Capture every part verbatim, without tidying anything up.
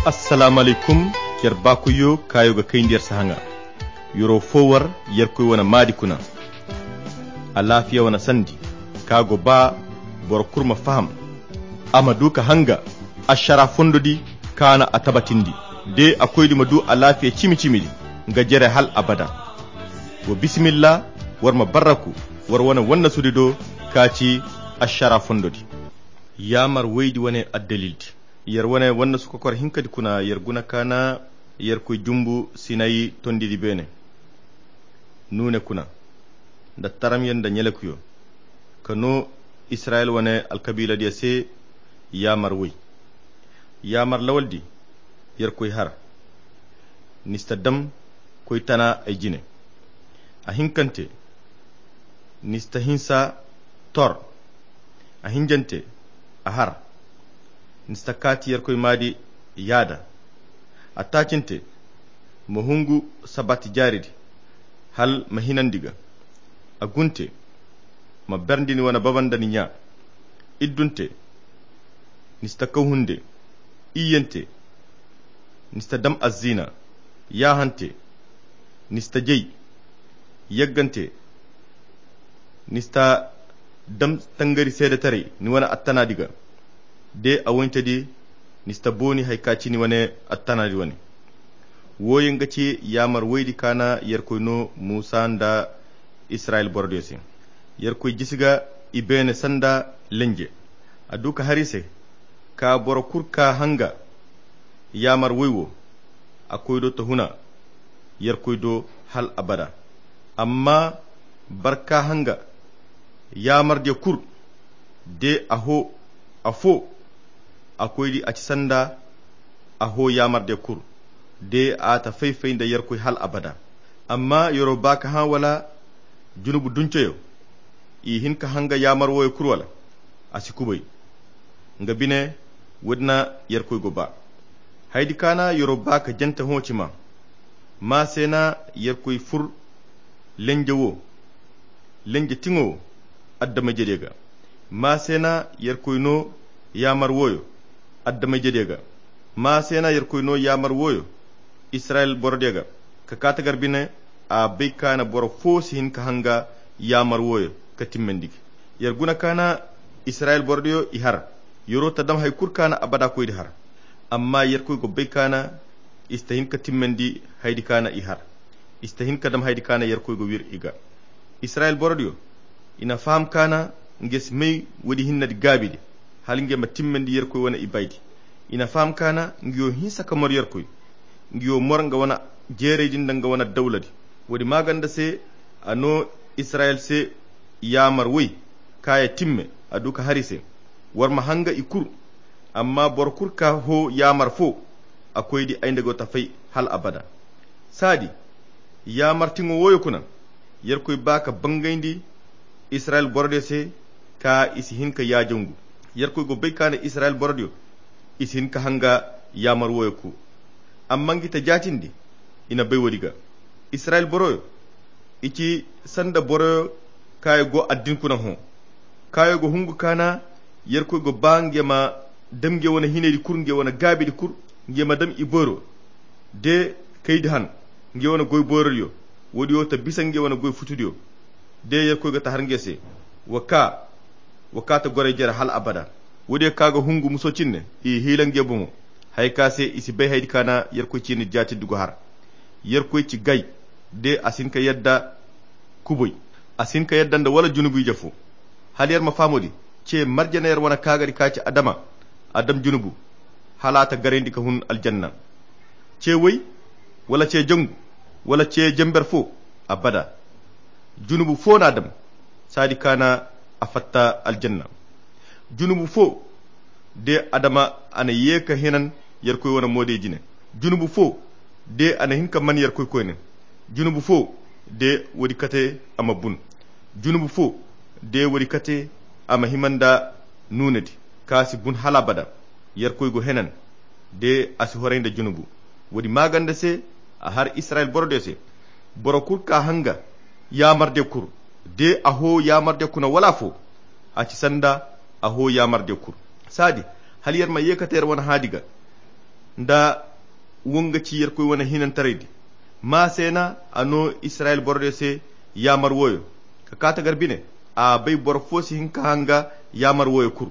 Assalaamu alaykum. Yer baakoyyo kaayo ga kayndi yer sahaŋa. Yer'o foo war yerkoy wane maadi kuna. Alaafiya wane sandi ka go ba boro kul ma faham, a ma du ka hanga ašara fondodi ka na a tabatindi. De a koydi ma du alaafiya cimi-cimidi nga jere hal abada. Wa bisimilla, war ma barraku war wane wannasudi do ka ci ašara fondodi. Yaamar woydi wane addalildi. Yer wane wannasu kokor hinkadi kuna yer guna ka na yerkoy jumbu sinayi tondidi beene, nuune kuna nda taramyo nda ɲelekuyo, ka noo israyil wane alkabiiladiyo se yaamar woy. Yaamar lawaldi yerkoy har, ni si ta dam koy tana ay jine. A hinkante, ni si ta hinsa tor. A hinjante, a har. Ni si ta kaati yerkoy maadi yaada. A taacinte, ma hungu sabbati jaaridi hal ma hinandi ga. A gunte, ma berndi ni wane baba nda ni ɲaa. Iddunte, ni si ta kaw hunde. Iyyante, ni si ta dam azziina. Yaahante, ni si ta jay. Yaggante, ni si ta dam tangari seedetaray ni wane attanaadi ga. De a woyntedi, ni si ta booni hari ka ci ni wane attanaadi wane. Wooyaŋ ga ci yaamar woydi ka na yerkoy noo muusa nda israyil borodiyo se. Yerkoy jisi ga i beene sanda lenje. A du ka har i se ka boro kul ka hanga yaamar woy wo, a koy do ta huna yerkoy do hal abada. Amma barka hanga yaamardiyo kul, de a hoo afoo, a koydi a ci sanda a hoo yaamardiyo kul, de a ta fay-fay nda yerkoy hal abada. Amma yer'o ba ka hã wala junubu dunceyo, i hin ka hanga yaamar wooyo kul wala? A si kubay. Nga bine, woodi na yerkoy go ba. Haydi ka na yer'o ba ka jante hõ cima. Maa se na yerkoy fur lenje wo, lenje tiŋo wo adama-ijediyo ga. Maa se na yerkoy noo yaamar wooyo adama-ijediyo ga. Maa se na yerkoy noo yaamar wooyo israyil borodiyo ga. Ka kaa tagar bine, a bay ka na boro foo si hin ka hanga yaamar wooyo ka timmandi ga. Yer guna ka na israyil borodiyo i har. Yer'o ta dam hari kul ka na abada koydi har. Amma yerkoy go bay ka na i si ta hin ka timmandi haydi ka na i har. I si ta hin ka dam haydi ka na yerkoy go wir i ga. Israyil borodiyo, i na faham ka na nge si may woodi hinnedi gaabidi, hala nge ma timmandi yerkoy wane ibaydi. I na faham ka na nge wo hinsa ka mor yerkoy, nge wo mor nga wane jeeraydi nda nga wane dawladi. Woodi maaganda se a noo israyil se yaamar woy, ka ya timme a du ka har i se. War ma hanga i kul. Amma boro kul ka hoo yaamar foo, a koydi ay nda go ta fay hal abada. Saadi, yaamar tiŋo wooyo kuna, yerkoy ba ka bangayndi israyil borodiyo se, ka i si hin ka yaajangu. Yerkoy go bay ka na israyil borodiyo i si hin ka hanga yaamar wooyo kul. Amma ngi ta jaatindi, i na bay woodi ga. Israyil boroyo, i ci sanda boroyo kaayo go addin kuna hõ. Kaayo go hungu ka na yerkoy go ba nge ma dam nge wane hinaydi kul, nge wane gaabidi kul, nge ma dam i boyro de kaydi han, nge wane goy boyrodiyo. Woodi wo ta bisa nge wane goy futudiyo. De yerkoy ga ta har nge se, wa kaa wa kaa ta goray jere hal abada. Woodiyo ka ga hungu muso cinne, i hiila nge boŋo. Haya ka se i si bay haydi ka na yerkoy ciini jaatindi go har. Yerkoy ci gay, de a si hin ka yadda kuboy. A si hin ka yadda nda wala junubu ije fo. Hala yer ma fahamo di, ce marjane yer wane kaagadi ka ci adama, a dam junubu, hala a ta garayndi ka hun aljanna. Ce woy, wala ce jangu, wala ce jamber fo, abada. Junubu fo na a dam, saadi ka na a fatta aljanna. Junubu fo, de adama a na ye ka hinan yerkoy wane moodey jine. Junubu fo, de a na hin ka man yerkoy koyne. Junubu fo, de woodi kate a ma bun. Junubu fo, de woodi kate a ma hima nda nuunedi, ka si bun hal abada. Yerkoy go henan, de a si horay nda junubu. Woodi maaganda se, a har israyil borodiyo se, boro kul ka hanga yaamardiyo kul, de a hoo yaamardiyo kuna wala afo, a ci sanda a hoo yaamardiyo kul. Saadi, hala yer ma ye kate yer wane haadi ga. Nda wo nga ci yerkoy wane hinantaraydi. Maa se na a no israyil borodiyo se yaamar wooyo, ka kaa tagar bine. A bay boro foo si hin ka hanga yaamar wooyo kul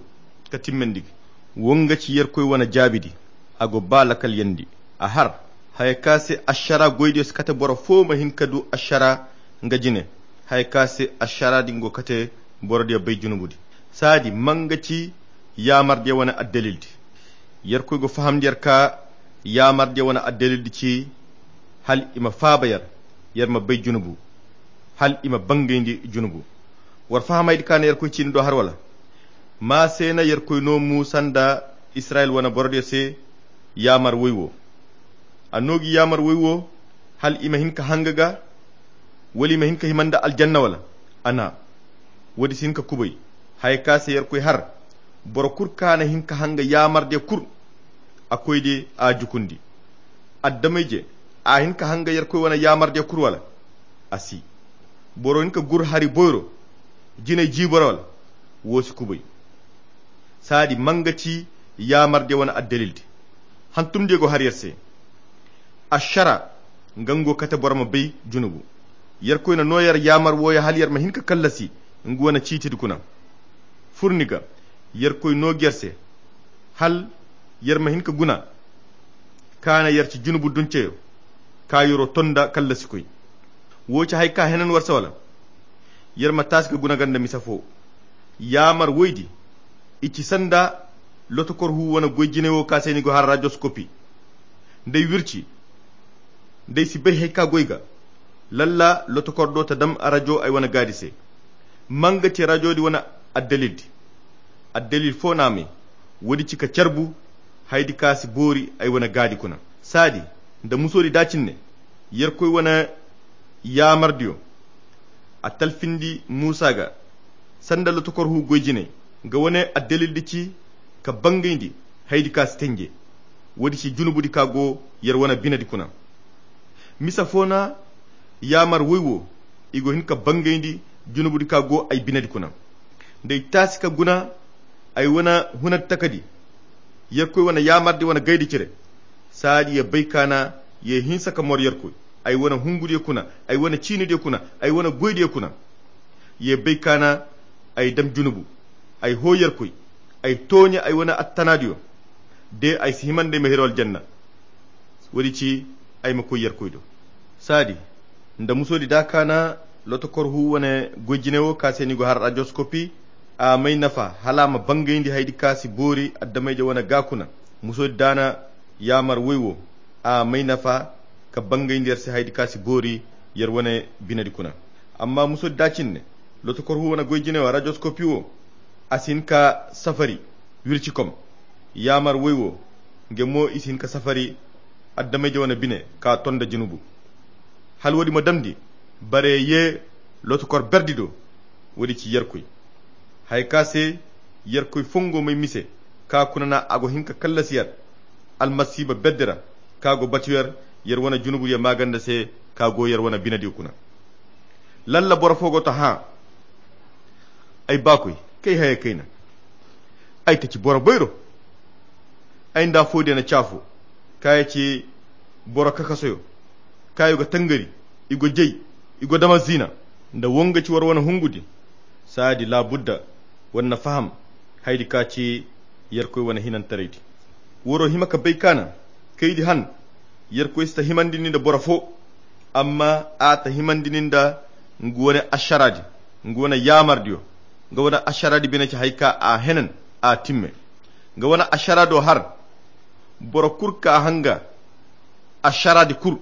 ka timmandi ga. Wo nga ci yerkoy wane jaabidi. A go ba lakalyandi. A har haya ka se ašara goydiyo si kate boro foo ma hin ka du ašara nga jine. Haya ka se ašara din go kate borodiyo bay junubudi. Saadi ma nga ci yaamardiyo wane addalildi. Yerkoy go fahamndi yer ka yaamardiyo wane addalildi ci hal i ma faaba yer, yer ma bay junubu, hal i ma bangayndi junubu. War fahamay di kaana yerkoy ciini do har wala? Maa se na yerkoy no muusa nda israyil wane borodiyo se yaamar woy wo. A no gi yaamar woy wo hal i ma hin ka hanga ga, wala i ma hin ka hima nda aljanna wala? A na woodi si hin ka kubay. Haya ka se yerkoy har boro kul ka na hin ka hanga yaamardiyo kul, a koydiyo a jukundi. Addamayje, a hin ka hanga yerkoy wane yaamardiyo kul wala? A si. Boro hin ka gur hari boyro jinay jiiboro wala? Woo si kubay. Saadi ma nga ci yaamardiyo wane addalildi. Hantumdiyo go har yer se. Ašara nga nga go kate boro ma bay junubu. Yerkoy na no yer yaamar wooyo hal yer ma hin ka kallasi nga wane ciitidi kuna. Fur ni ga yerkoy no ga yer se hal yer ma hin ka guna ka na yer ci junubu dunceyo ka yeroo ton nda kallasikoy. Woo ci haya ka henan war se wala? Yer ma taasi ka guna ga nda misa foo. Yaamar woydi i ci sanda lotokor huu wane goy jinay wo ka se ni go har rajoskopi. Nda ay wirci nda ay si bay haya ka goy ga, lalla lotokor do ta dam rajo ay wane gaadi se. Ma nga ci rajodi wane addalildi. Addalil foo na a may. Woodi ci ka carbu haydi ka si boori ay wane gaadi kuna. Saadi nda musoodi da cine yerkoy wane yaamardiyo a talfindi muusa ga sanda lotokor huu goy jinay. Nga wane addalildi ci ka bangayndi haydi ka si tenje. Woodi ci junubudi ka go yer wane binedi kuna. Misa foo na yaamar woy wo i go hin ka bangayndi junubudi ka go ay binedi kuna. Nda ay taasi ka guna ay wane hunadi takadi yerkoy wane yaamardi wane gaydi cire. Saadi ye bay ka na ye hinsa ka mor yerkoy ay wane hungudiyo kuna, ay wane ciinidiyo kuna, ay wane goydiyo kuna. Ye bay ka na ay dam junubu, ay hoo yerkoy, ay tooɲe ay wane attanaadiyo. De ay si hima nda ay ma hiro aljanna. Woodi ci ay ma koy yerkoy do. Saadi nda musoodi da ka na lotokor huu wane goy jinay wo ka se ni go har rajoskopi. A may nafa hala a ma bangayndi haydi ka si boori addamayje wane gaa kuna. Musoodi da na yaamar woy wo a may nafa ka bangayndi yer se haydi ka si boori yer wane binedi kuna. Amma musoodi da cine lotokor huu wane goy jinay wo rajoskopi wo a si hin ka safari wircikom. Yaamar woy wo nge mo i si hin ka safari addamayje wane bine ka ton nda junubu. Hala woodi ma damndi bare ye lotokor berdi do. Woodi ci yerkoy haya ka se yerkoy fongo may mise ka kuna na a go hin ka kallasi yer almasiiba berdi ra ka go batu yer yer wane junubudiyo maaganda se ka go yer wane binediyo kuna. Lalla boro foo go ta hã. Ay baakoy, kay haya kayna. Ay ta ci boro boyro. Ay nda foodiyo na caafo. Kaayo ci boro kakasoyo. Kaayo ga tangari, i go jay, i go dama ziina. Nda wo nga ci war wane hungudi. Saadi laabudda war na faham haydi ka ci yerkoy wane hinantaraydi. Waroo hima ka bay ka na kaydi han yerkoy si ta himandi ni nda boro foo. Amma a ta himandi ni nda nga wane ašaraadi, nga wane yaamardiyo. Nga wane ašaraadi bine ci haya ka a henan a timme. Nga wane ašaraado har boro kul ka hanga ašaraadi kul.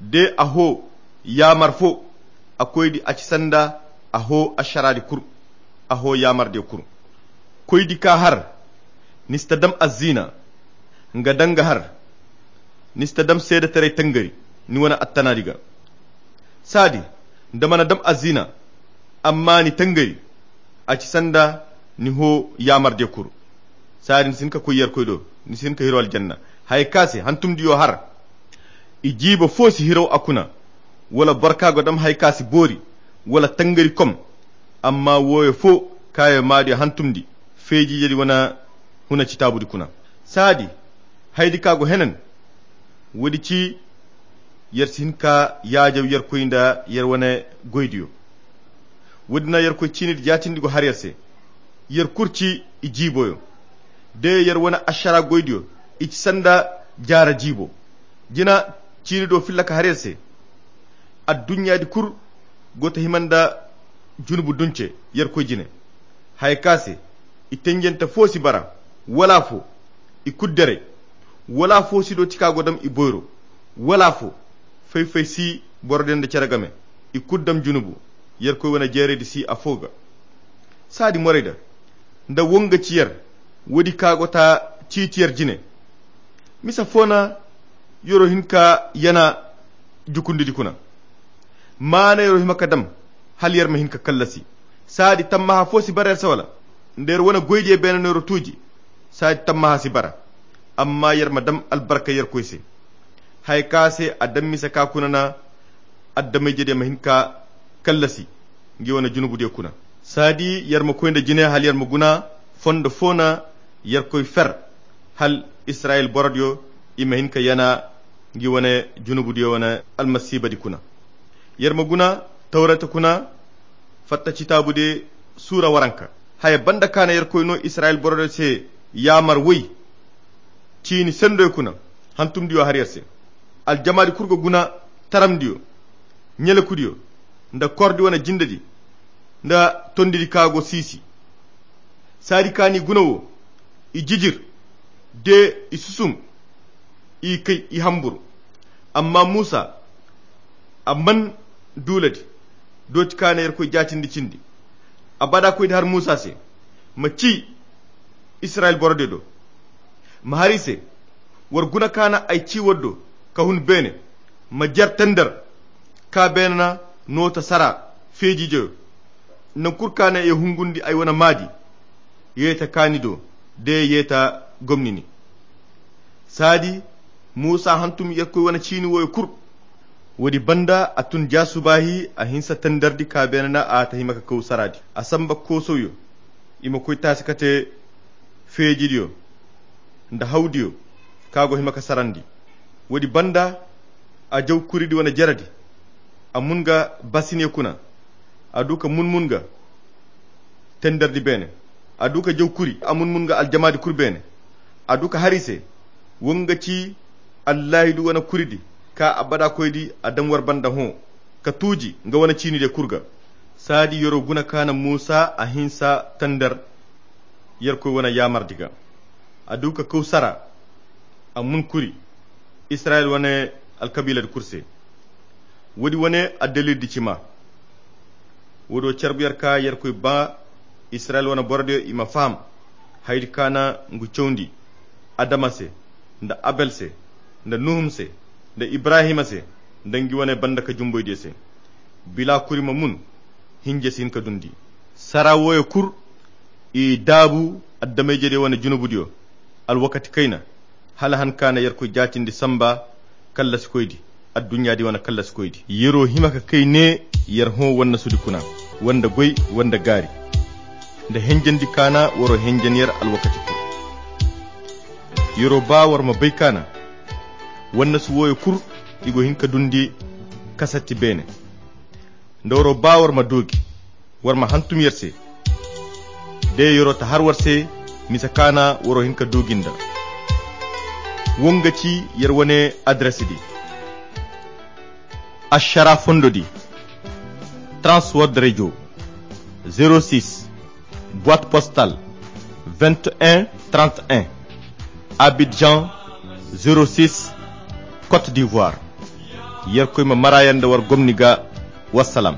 De a hoo yaamar foo a koydi a ci sanda a hoo ašaraadi kul. A hoo yaamardiyo kul. Koydi ka har ni si ta dam aziina. Nga danga har ni si ta dam seedetaray tangari ni wane attanaadi ga. Saadi nda mana dam aziina amma ni tangari a ci sanda ni hoo yaamardiyo kul. Saadi ni si hin ka koy yerkoy do ni si hin ka hiro aljanna. Haya ka se hantumdiyo har i jiiba foo si hiro a kuna. Wala boro ka go dam haya ka si boori wala tangari kom. Amma wooyo foo kaayo maadiyo hantumdi feejiijedi wane huna citaabudi kuna. Saadi Haydi ka go henen, woodi ci yer si hin ka yaajaw yerkoy nda yer wane goydiyo. Woodi na yerkoy ciinidi jaatindi go har yer se. Yer kul ci i jiiboyo. De yer wane ašara goydiyo, i ci sanda jaara jiibo. Jina ciinido filla ka har yer se. Adduɲɲaadi kul go ta hima nda junubu dunce yerkoy jine. Haya ka se i tenjante foo si bara, wala afo. I kul deray. Wala afo si dooti ka go dam i boyro. Wala afo. Fay-fay si boro din nda cere game. I kul dam junubu. Yerkoy wane jeeraydi si afo ga. Saadi morayda nda wonga ci yer. Woodi ka go ta ciiti yer jine. Misa foo na yero hin ka yana jukundidi kuna. Maana yero hima ka dam hala yer ma hin ka kallasi. Saadi tammaha foo si bara yer se wala? Nda yer wane goydiyo beene no yero tuuji. Saadi tammaha si bara. Amma yer ma dam albarka yerkoy se. Haya ka se a dam misa ka kuna na addamayjediyo ma hin ka kallasi ngi wane junubudiyo kuna. Saadi yer ma koy nda jine hala yer ma guna fondo foo na yerkoy fer hala israyil borodiyo i ma hin ka yana ngi wane junubudiyo wane almasiibadi kuna. Yer ma guna tawreta kuna fatta citaabudi suura waranka. Haya banda ka na yerkoy no israyil borodiyo se yaamar woy ciini sendoy kuna. Hantumdiyo har yer se aljamaadi kul ga guna taramdiyo ɲelekudiyo nda kordi wane jindedi nda tondidi ka go siisi. Saadi ka n'i guna wo i jijir de i susum i kay i hambur. Amma muusa a man duuladi dooti ka na yerkoy jaatindi cindi. Abada koydi har muusa se ma ci israyil borodiyo do. Ma har i se war guna ka na ay ci war do ka hun beene. Ma jer tender ka beene na noota sara feejiijoyo. Naŋ kul ka na ye hungundi ay wane maadi yeeta kaani do de yeeta gomnini. Saadi muusa hantum yerkoy wane ciini wooyo kul. Woodi banda a tun jaasubaahi a hinsa tenderdi ka beene na a ta hima ka kaw saraadi a samba koosawyo. I ma koy taasi ka te feejidiyo nda hawdiyo ka go hima ka sarandi. Woodi banda a jaw kuridi wane jeredi a mun nga basine kuna. A du ka mun-mun nga tenderdi beene. A du ka jaw kuri a mun-mun nga aljamaadi kul beene. A du ka har i se wo nga ci allaahidu wane kuridi ka abada koydi a dam war banda hõ ka tuuji nga wane ciinidiyo kul ga. Saadi yer'o guna ka na muusa a hinsa tender yerkoy wane yaamardi ga. A du ka kaw sara a mun kuri israyil wane alkabiiladi kul se. Woodi wane addaliildi ci maa. Woodi wo carbu yer ka yerkoy ba israyil wane borodiyo i ma faham hayadi ka na ngu cawndi adama se nda abel se nda nuhum se nda ibrahima se nda ngi wane banda ka jumboydiyo se. Bila kuri ma mun hinje si hin ka dundi. Sara wooyo kul i daabu adama-ijediyo wane junubudiyo alwakati kayna hala han ka na yerkoy jaatindi samba kallasikoydi adduɲɲaadi wane kallasikoydi yer'o hima ka kay ne yer hõ wannasudi kuna wanda goy wanda gaari nda henjendi ka na war'o henjen yer alwakati kul. Yer'o ba war ma bay ka na wannasu wooyo kul i go hin ka dundi kasatti beene. Nda war'o ba war ma doogi war ma hantum yer se de yer'o ta har war se misa ka na war'o hin ka doogi nda wo nga ci yer wane adresidi. Ašara fondodi, transword radio, zero six, boîte postale, vingt et un trente et un, Abidjan, zero six, Côte d'Ivoire. Yerkoy ma mara yer nda war gomni ga. Wassalam.